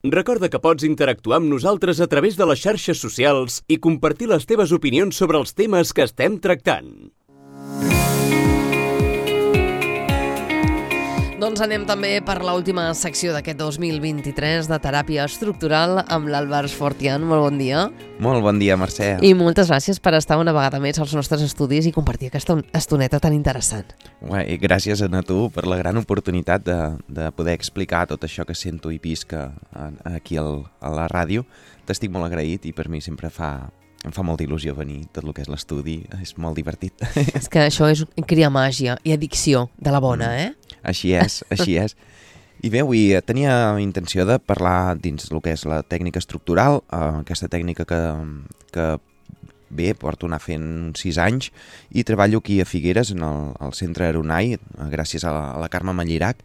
Recorda que pots interactuar amb nosaltres a través de les xarxes socials i compartir les teves opinions sobre els temes que estem tractant. Doncs anem també per l'última secció d'aquest 2023 de teràpia estructural amb l'Àlvar Fortián. Molt bon dia. Molt bon dia, Mercè. I moltes gràcies per estar una vegada més als nostres estudis i compartir aquesta estoneta tan interessant. I gràcies a tu per la gran oportunitat de poder explicar tot això que sento i visc aquí a la ràdio. T'estic molt agraït i per mi sempre em fa molta il·lusió venir, tot el que és l'estudi, és molt divertit. És que això és criar màgia i addicció de la bona, Així és. I bé, avui tenia intenció de parlar dins el que és la tècnica estructural, aquesta tècnica que bé, porto anar fent uns 6 anys i treballo aquí a Figueres, al centre Aronai, gràcies a la Carme Mallirac,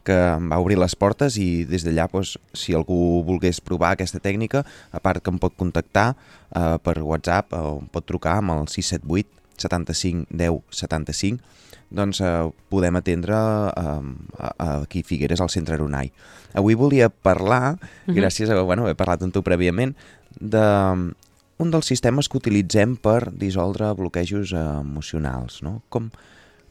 que em va obrir les portes i des d'allà, si algú volgués provar aquesta tècnica, a part que em pot contactar per WhatsApp o em pot trucar amb el 678 75 10 75, doncs podem atendre aquí a Figueres, al centre Aronai. Avui volia parlar, gràcies a haver parlat amb tu prèviament, d'un dels sistemes que utilitzem per dissoldre bloquejos emocionals, no?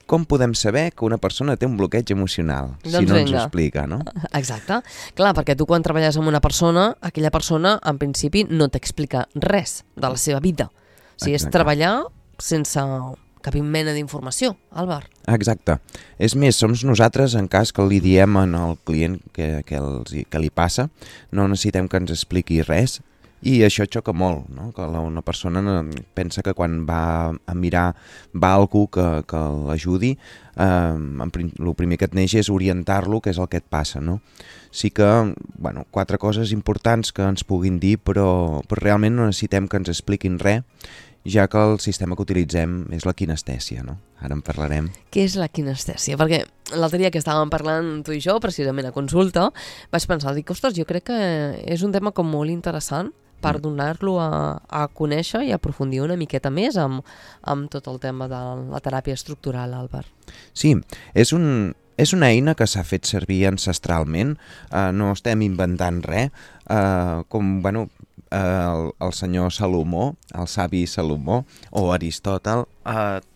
Com podem saber que una persona té un bloqueig emocional, si no ens ho explica, no? Exacte. Clar, perquè tu quan treballes amb una persona, aquella persona en principi no t'explica res de la seva vida. O sigui, és treballar sense cap mena d'informació, Àlvar. Exacte. És més, som nosaltres, en cas que li diem al client que li passa, no necessitem que ens expliqui res, i això xoca molt, no? Que una persona pensa que quan va a mirar va algú que l'ajudi, el primer que et neix és orientar-lo, que és el que et passa, no? Sí que, 4 coses importants que ens puguin dir, però realment no necessitem que ens expliquin res, ja que el sistema que utilitzem és la kinestèsia, no? Ara en parlarem. Què és la kinestèsia? Perquè l'altre dia que estàvem parlant tu i jo, precisament a consulta, vaig pensar, ostres, jo crec que és un tema com molt interessant per donar-lo a conèixer i aprofundir una miqueta més amb tot el tema de la teràpia estructural, Àlvar. Sí, és una eina que s'ha fet servir ancestralment, no estem inventant res, el senyor Salomó, el savi Salomó o Aristòtel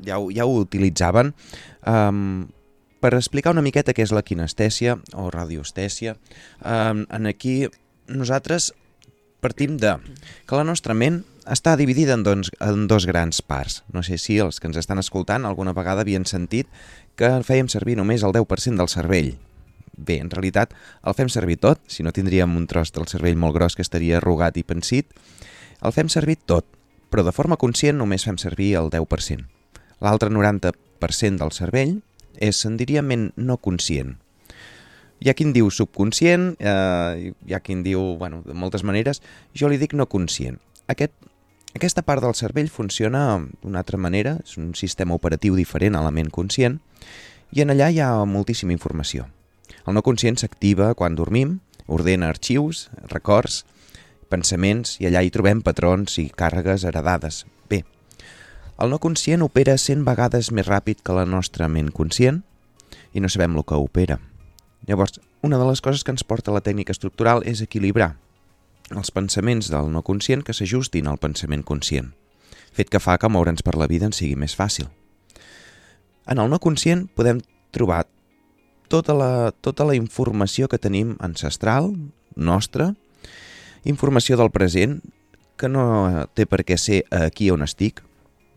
ja ho utilitzaven per explicar una miqueta què és la kinestèsia o radiostèsia. Aquí nosaltres partim que la nostra ment està dividida en dos grans parts. No sé si els que ens estan escoltant alguna vegada havien sentit que fèiem servir només el 10% del cervell. Bé, en realitat el fem servir tot, si no tindríem un tros del cervell molt gros que estaria arrugat i pensit. El fem servir tot, però de forma conscient només fem servir el 10%. L'altre 90% del cervell és, en diria, ment no conscient. Hi ha qui en diu subconscient, hi ha qui en diu, de moltes maneres, jo li dic no conscient. Aquesta part del cervell funciona d'una altra manera, és un sistema operatiu diferent a la ment conscient, i en allà hi ha moltíssima informació. El no conscient s'activa quan dormim, ordena arxius, records, pensaments, i allà hi trobem patrons i càrregues heredades. Bé, el no conscient opera 100 vegades més ràpid que la nostra ment conscient i no sabem el que opera. Llavors, una de les coses que ens porta la tècnica estructural és equilibrar els pensaments del no conscient que s'ajustin al pensament conscient, fet que fa que moure'ns per la vida ens sigui més fàcil. En el no conscient podem trobar tota la informació que tenim ancestral, nostra, informació del present, que no té per què ser aquí on estic,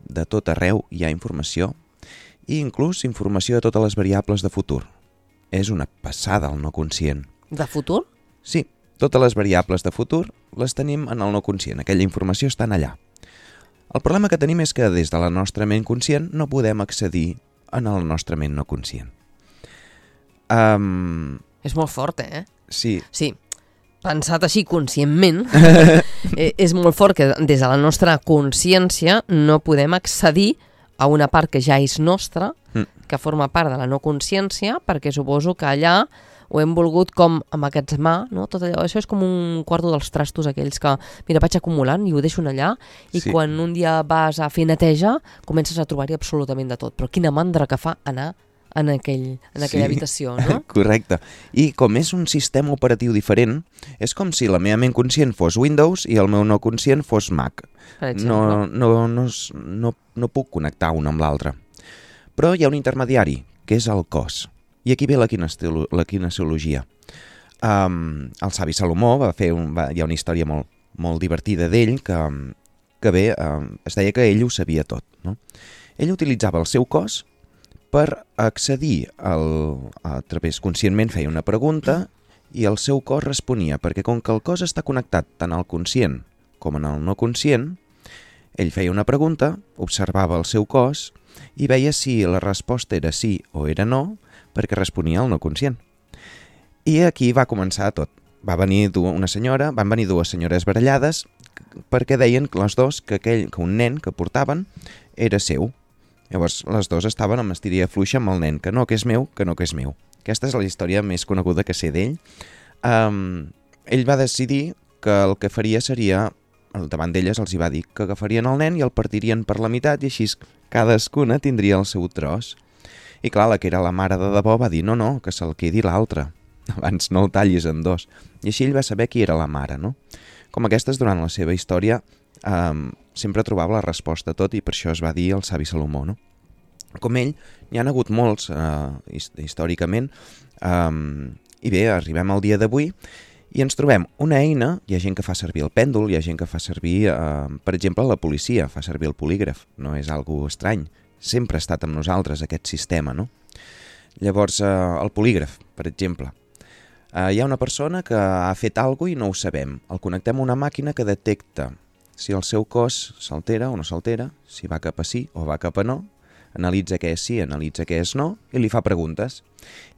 de tot arreu hi ha informació, i inclús informació de totes les variables de futur. És una passada el no conscient. De futur? Sí, totes les variables de futur les tenim en el no conscient, aquella informació està allà. El problema que tenim és que des de la nostra ment conscient no podem accedir en el nostre ment no conscient. És molt fort, Sí. Sí, pensat així conscientment, és molt fort que des de la nostra consciència no podem accedir a una part que ja és nostra, que forma part de la no consciència, perquè suposo que allà ho hem volgut com emmagatzemar, no? Tot allò, això és com un quarto dels trastos aquells que, mira, vaig acumulant i ho deixo allà, i sí, quan un dia vas a fer neteja comences a trobar-hi absolutament de tot, però quina mandra que fa anar en aquella habitació, no? Correcte. I com és un sistema operatiu diferent, és com si la meva ment conscient fos Windows i el meu no conscient fos Mac. Per exemple. No puc connectar un amb l'altre. Però hi ha un intermediari, que és el cos. I aquí ve la kinesiologia. El savi Salomó hi ha una història molt divertida d'ell que bé, es deia que ell ho sabia tot, no? Ell utilitzava el seu cos per accedir conscientment feia una pregunta i el seu cos responia, perquè com que el cos està connectat tant al conscient com en el no conscient, ell feia una pregunta, observava el seu cos i veia si la resposta era sí o era no, perquè responia al no conscient. I aquí va començar tot. Van venir dues senyores barallades perquè deien les dos que un nen que portaven era seu. Llavors, les dues estaven amb estiria fluixa amb el nen, que no, que és meu, que no, que és meu. Aquesta és la història més coneguda que sé d'ell. Ell va decidir que el que faria seria, davant d'elles els hi va dir que agafarien el nen i el partirien per la meitat i així cadascuna tindria el seu tros. I clar, la que era la mare de debò va dir no, que se'l quedi l'altre. Abans no el tallis en dos. I així ell va saber qui era la mare, no? Com aquestes, durant la seva història, sempre trobava la resposta a tot i per això es va dir el savi Salomó, no? Com ell, n'hi han hagut molts històricament i bé, arribem al dia d'avui i ens trobem una eina, hi ha gent que fa servir el pèndol, hi ha gent que fa servir, per exemple, la policia, fa servir el polígraf, no és algo estrany, sempre ha estat amb nosaltres aquest sistema, no? Llavors, el polígraf, per exemple, hi ha una persona que ha fet alguna cosa i no ho sabem, el connectem a una màquina que detecta si el seu cos s'altera o no s'altera, si va cap a sí o va cap a no, analitza què és sí, analitza què és no, i li fa preguntes.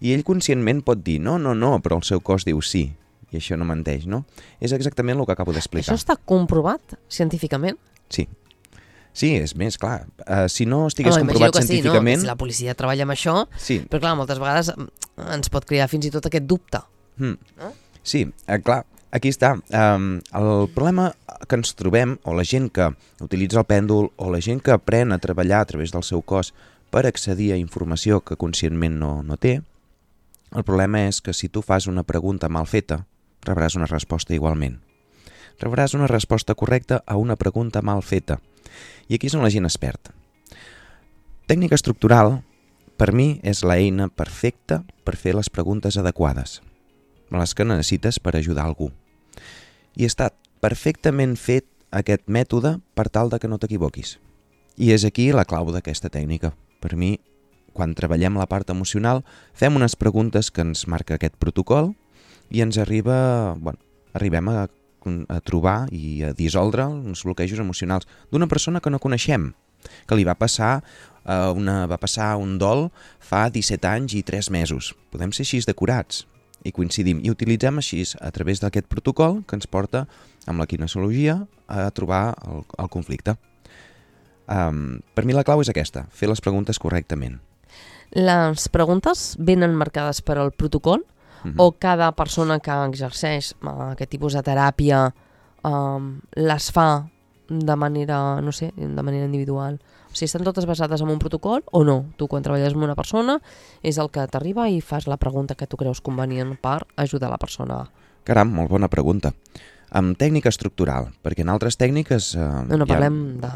I ell conscientment pot dir no, però el seu cos diu sí, i això no menteix, no? És exactament el que acabo d'explicar. Això està comprovat científicament? Sí. Sí, és més, clar. Si no estigués comprovat científicament... Sí, no? Si la policia treballa amb això, sí. Però clar, moltes vegades ens pot crear fins i tot aquest dubte. No? Sí, clar, aquí està. El problema que ens trobem, o la gent que utilitza el pèndol, o la gent que aprèn a treballar a través del seu cos per accedir a informació que conscientment no té, el problema és que si tu fas una pregunta mal feta, rebràs una resposta igualment. Rebràs una resposta correcta a una pregunta mal feta. I aquí és on la gent es perd. Tècnica estructural, per mi, és l'eina perfecta per fer les preguntes adequades, les que necessites per ajudar algú. I està perfectament fet aquest mètode per tal de que no t'equivoquis. I és aquí la clau d'aquesta tècnica. Per mi, quan treballem la part emocional, fem unes preguntes que ens marca aquest protocol i ens arribem a trobar i a dissoldre uns bloquejos emocionals d'una persona que no coneixem, que li va passar un dol fa 17 anys i 3 mesos. Podem ser així decorats i coincidim i utilitzem així a través d'aquest protocol que ens porta amb la kinesiologia a trobar el conflicte. Per mi la clau és aquesta, fer les preguntes correctament. Les preguntes venen marcades per al protocol? O cada persona que exerceix aquest tipus de teràpia les fa de manera, no sé, de manera individual? O sigui, estan totes basades en un protocol o no? Tu, quan treballes amb una persona, és el que t'arriba i fas la pregunta que tu creus convenient per ajudar la persona. Caram, molt bona pregunta. Amb tècnica estructural, perquè en altres tècniques... parlem de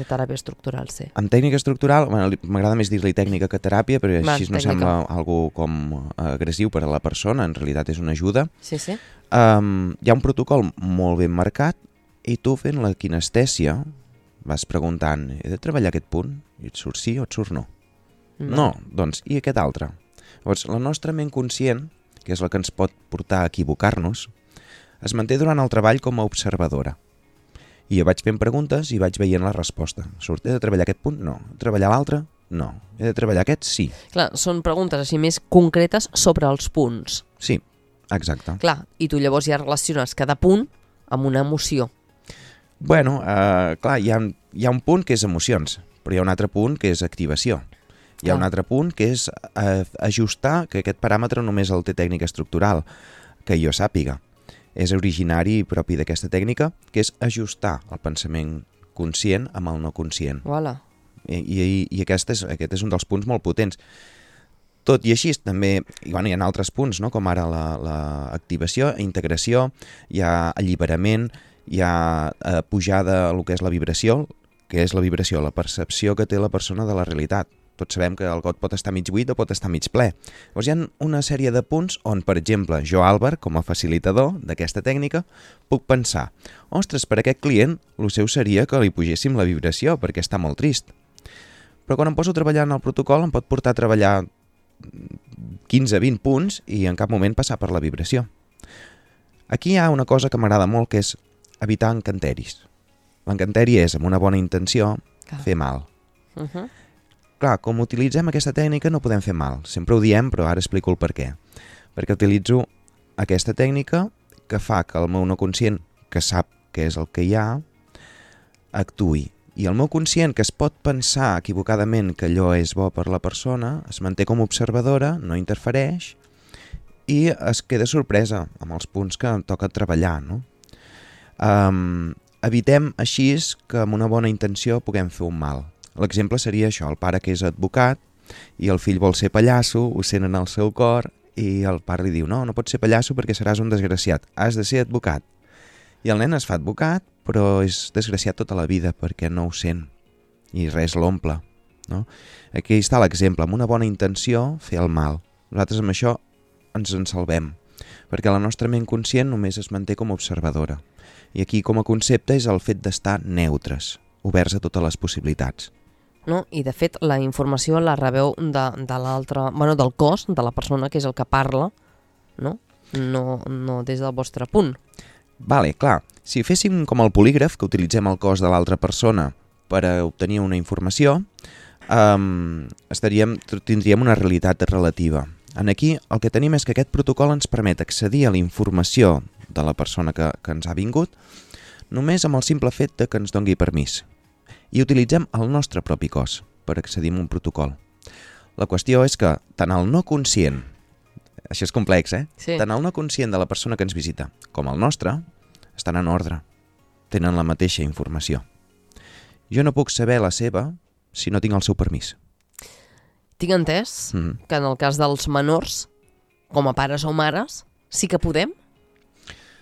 teràpia estructural, sí. Amb tècnica estructural, m'agrada més dir-li tècnica que teràpia, però així no sembla algo com agressiu per a la persona, en realitat és una ajuda. Sí, sí. Hi ha un protocol molt ben marcat i tu fent la kinestèsia vas preguntant, he de treballar aquest punt? I et surt sí o et surt no? No, doncs, i aquest altre? Llavors, la nostra ment conscient, que és la que ens pot portar a equivocar-nos, es manté durant el treball com a observadora. I jo vaig fent preguntes i vaig veient la resposta. Surt, he de treballar aquest punt? No. Treballar l'altre? No. He de treballar aquest? Sí. Clar, són preguntes així més concretes sobre els punts. Sí, exacte. Clar, i tu llavors ja relaciones cada punt amb una emoció. Bueno, clar, hi ha un punt que és emocions, però hi ha un altre punt que és activació. Hi ha un altre punt que és ajustar, que aquest paràmetre només el té tècnica estructural, que jo sàpiga. És originari i propi d'aquesta tècnica, que és ajustar el pensament conscient amb el no conscient. Voilà. I aquest és un dels punts molt potents. Tot i així, també hi ha altres punts, no? Com ara l'activació, integració, hi ha alliberament, hi ha pujada el que és la vibració, que és la vibració, la percepció que té la persona de la realitat. Tots sabem que el got pot estar mig buit o pot estar mig ple. Llavors hi ha una sèrie de punts on, per exemple, jo, Àlvar, com a facilitador d'aquesta tècnica, puc pensar, ostres, per aquest client, el seu seria que li pugéssim la vibració, perquè està molt trist. Però quan em poso a treballar en el protocol em pot portar a treballar 15-20 punts i en cap moment passar per la vibració. Aquí hi ha una cosa que m'agrada molt, que és evitar encanteris. L'encanteri és, amb una bona intenció, fer mal. Clar, com utilitzem aquesta tècnica no podem fer mal. Sempre ho diem, però ara explico el per què. Perquè utilitzo aquesta tècnica que fa que el meu no conscient, que sap què és el que hi ha, actuï. I el meu conscient, que es pot pensar equivocadament que allò és bo per la persona, es manté com a observadora, no interfereix i es queda sorpresa amb els punts que em toca treballar, no? Evitem així que amb una bona intenció puguem fer un mal. L'exemple seria això, el pare que és advocat i el fill vol ser pallasso, ho sent en el seu cor i el pare li diu, no pots ser pallasso perquè seràs un desgraciat, has de ser advocat. I el nen es fa advocat, però és desgraciat tota la vida perquè no ho sent i res l'omple, no? Aquí està l'exemple, amb una bona intenció fer el mal. Nosaltres amb això ens en salvem, perquè la nostra ment conscient només es manté com a observadora. I aquí com a concepte és el fet d'estar neutres, oberts a totes les possibilitats. No? I de fet la informació la rebeu de l'altre, del cos, de la persona que és el que parla, no des del vostre punt. Vale, clar, si féssim com el polígraf, que utilitzem el cos de l'altra persona per a obtenir una informació, tindríem una realitat relativa. Aquí el que tenim és que aquest protocol ens permet accedir a la informació de la persona que ens ha vingut només amb el simple fet de que ens dongui permís. I utilitzem el nostre propi cos per accedir a un protocol. La qüestió és que tant el no conscient, això és complex, Sí. Tant el no conscient de la persona que ens visita com el nostre estan en ordre, tenen la mateixa informació. Jo no puc saber la seva si no tinc el seu permís. Tinc entès que en el cas dels menors, com a pares o mares, sí que podem?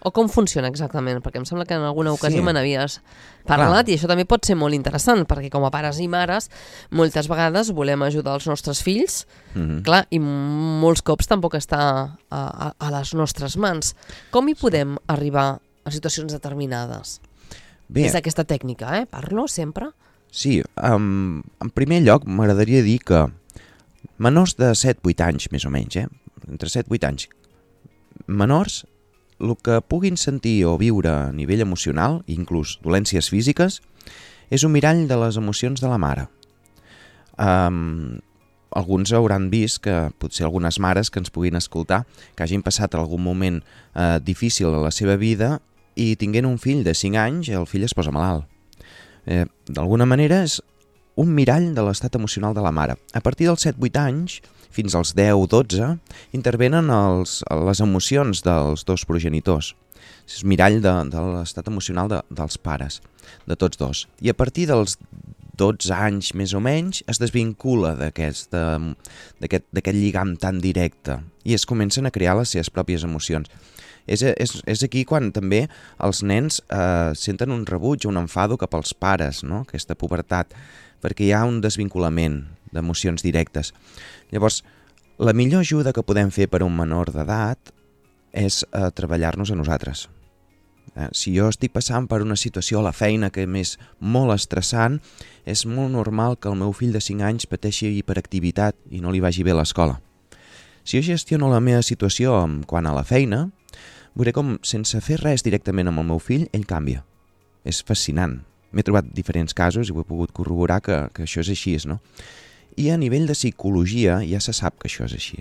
O com funciona exactament? Perquè em sembla que en alguna ocasió me n'havies parlat. Clar. I això també pot ser molt interessant, perquè com a pares i mares moltes vegades volem ajudar els nostres fills, clar, i molts cops tampoc està a les nostres mans. Com hi podem arribar a situacions determinades? Bé, És aquesta tècnica, parlo sempre? Sí, en primer lloc m'agradaria dir que menors de 7-8 anys, més o menys, entre 7-8 anys, menors, el que puguin sentir o viure a nivell emocional, inclús dolències físiques, és un mirall de les emocions de la mare. Alguns hauran vist que potser algunes mares que ens puguin escoltar, que hagin passat algun moment difícil a la seva vida i tinguent un fill de 5 anys, el fill es posa malalt. D'alguna manera és un mirall de l'estat emocional de la mare. A partir dels 7-8 anys, fins als 10-12, intervenen les emocions dels dos progenitors. És mirall de l'estat emocional dels pares, de tots dos. I a partir dels 12 anys més o menys es desvincula d'aquest lligam tan directe i es comencen a crear les seves pròpies emocions. És aquí quan també els nens senten un rebuig, un enfado cap als pares, no? Aquesta pubertat, perquè hi ha un desvinculament d'emocions directes. Llavors, la millor ajuda que podem fer per a un menor d'edat és treballar-nos a nosaltres. Si jo estic passant per una situació a la feina que m'és molt estressant, és molt normal que el meu fill de 5 anys pateixi hiperactivitat i no li vagi bé a l'escola. Si jo gestiono la meva situació quant a la feina, veuré com, sense fer res directament amb el meu fill, ell canvia. És fascinant. M'he trobat diferents casos i ho he pogut corroborar que això és així, no? I a nivell de psicologia ja se sap que això és així.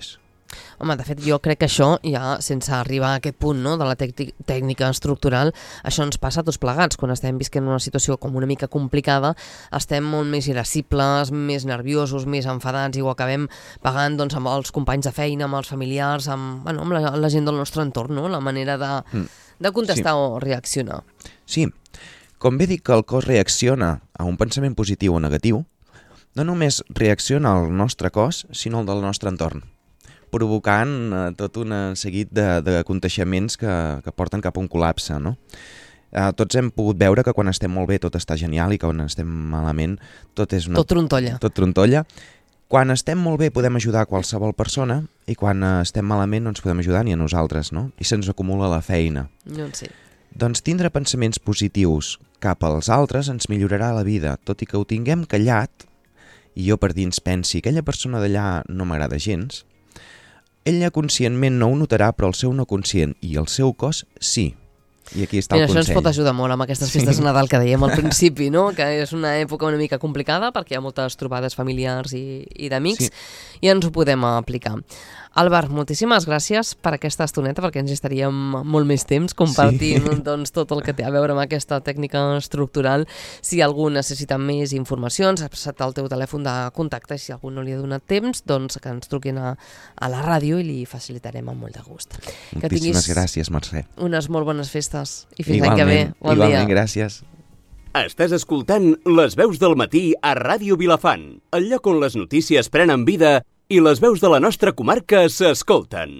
Home, de fet, jo crec que això, ja sense arribar a aquest punt, no, de la tècnica estructural, això ens passa a tots plegats. Quan estem visquent una situació com una mica complicada, estem molt més irascibles, més nerviosos, més enfadats, i ho acabem pagant amb els companys de feina, amb els familiars, amb la gent del nostre entorn, no? La manera de contestar o reaccionar. Sí, com bé dic que el cos reacciona a un pensament positiu o negatiu, no només reacciona al nostre cos, sinó al del nostre entorn. provocant tot un seguit de contagiaments que porten cap a un col·lapse, no? Tots hem pogut veure que quan estem molt bé tot està genial i que quan estem malament tot és Tot trontolla. Tot trontolla. Quan estem molt bé podem ajudar qualsevol persona i quan estem malament no ens podem ajudar ni a nosaltres, no? I se'ns acumula la feina. Doncs sí. Doncs tindre pensaments positius cap als altres ens millorarà la vida, tot i que ho tinguem callat, i jo per dins pensi aquella persona d'allà no m'agrada gens, ella conscientment no ho notarà, però el seu no conscient i el seu cos sí. I aquí està el Això ens consell. pot ajudar molt amb aquestes festes de Nadal que dèiem al principi, no? Que és una època una mica complicada perquè hi ha moltes trobades familiars i d'amics i ens ho podem aplicar. Àlvar, moltíssimes gràcies per aquesta estoneta perquè ens estaríem molt més temps compartint doncs, tot el que té a veure amb aquesta tècnica estructural. Si algú necessita més informació, ens ha passat el teu telèfon de contacte i si algú no li ha donat temps, doncs que ens truquin a la ràdio i li facilitarem amb molt de gust. Moltíssimes gràcies, Mercè. Unes molt bones festes i fins l'any que ve. Bon dia. Igualment, gràcies. Estàs escoltant Les veus del matí a Ràdio Vilafant, el lloc on les notícies prenen vida i les veus de la nostra comarca s'escolten.